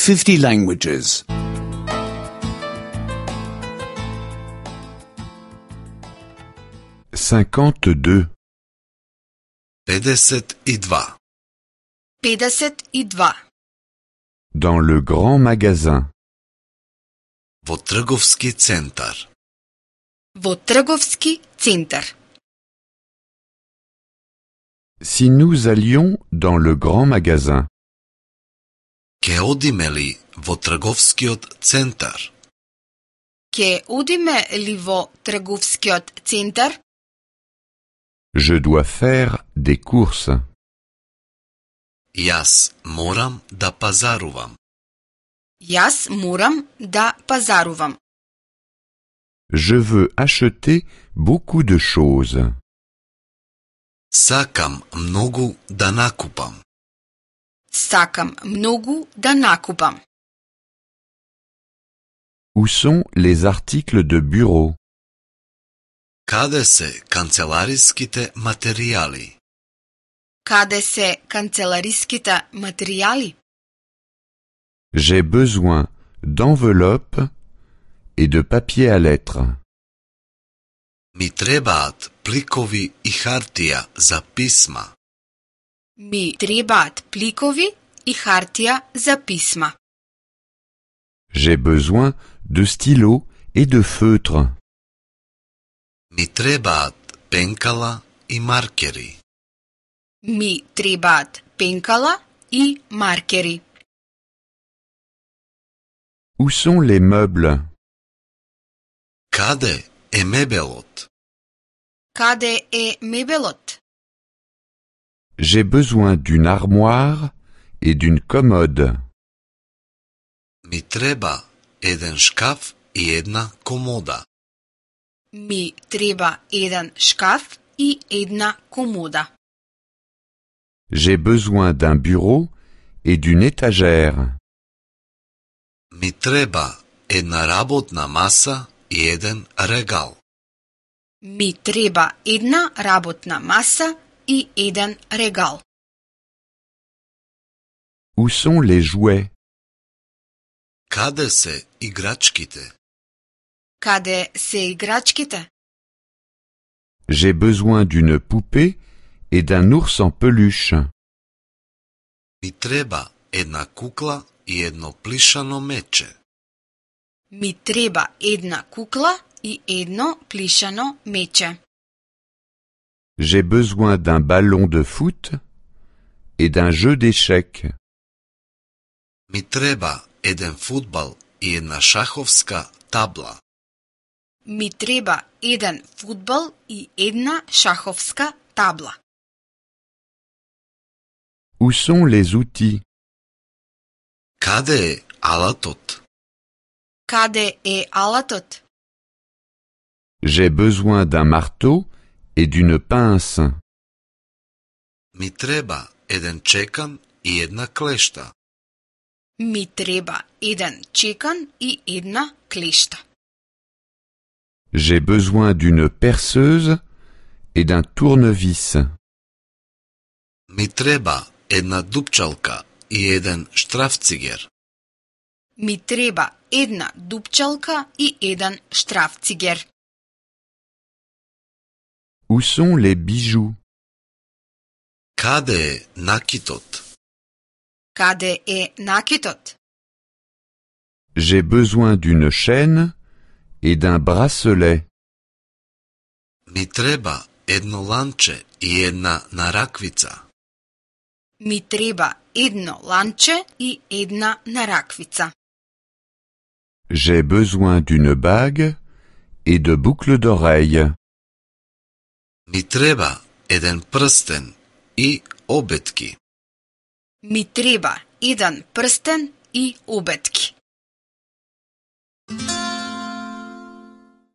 50 languages. 52. 52. 52. Dans le grand magasin. Во трговски центар. Во трговски центар. Si nous allions dans le grand magasin. Ке одиме ли во трговскиот центар? Ке одиме ли во трговскиот центар? Je dois faire des courses. Јас морам да пазарувам. Јас морам да пазарувам. Je veux acheter beaucoup de choses. Сакам многу да накупам. Сакам многу да накупам. Où sont les articles de bureau? Каде се канцелариските материјали? Каде се канцелариските материјали? J'ai besoin d'enveloppes et de papier à lettres. Ми требаат пликови и хартија за писма. Ми требаат пликови и хартија за писма. J'ai besoin de stylos et de feutres. Ми требаат пенкала и маркери. Ми требаат пенкала и маркери. Où sont les meubles? Каде е мебелот? Каде е мебелот? J'ai besoin d'une armoire et d'une commode. Ми треба еден шкаф и една комода. Ми треба еден шкаф и една комода. J'ai besoin d'un bureau et d'une étagère. Ми треба една работна маса и еден регал. Ми треба една работна маса и еден регал. Où sont les jouets? Каде се играчките? Каде се играчките? J'ai besoin d'une poupée et d'un ours en peluche. Ми треба една кукла и едно плишано мече. Ми треба една кукла и едно плишано мече. J'ai besoin d'un ballon de foot et d'un jeu d'échecs. Ми треба еден фудбал и една шаховска табла. Ми треба еден фудбал и една шаховска табла. Où sont les outils? Каде е алатот? Каде е алатот? J'ai besoin d'un marteau et d'une pince. Ми треба еден чекан и една клешта. Ми треба еден чекан и една клешта. J'ai besoin d'une perceuse et d'un tournevis. Ми треба една дупчалка и еден штрафцигер. Ми треба една дупчалка и еден штрафцигер. Où sont les bijoux? Каде е накитот? Каде е накитот? J'ai besoin d'une chaîne et d'un bracelet. Ми треба едно ланче и една нараквица. Ми треба едно ланче и една нараквица. J'ai besoin d'une bague et de boucles d'oreilles. Ми треба еден прстен и обетки. Ми треба еден прстен и обетки.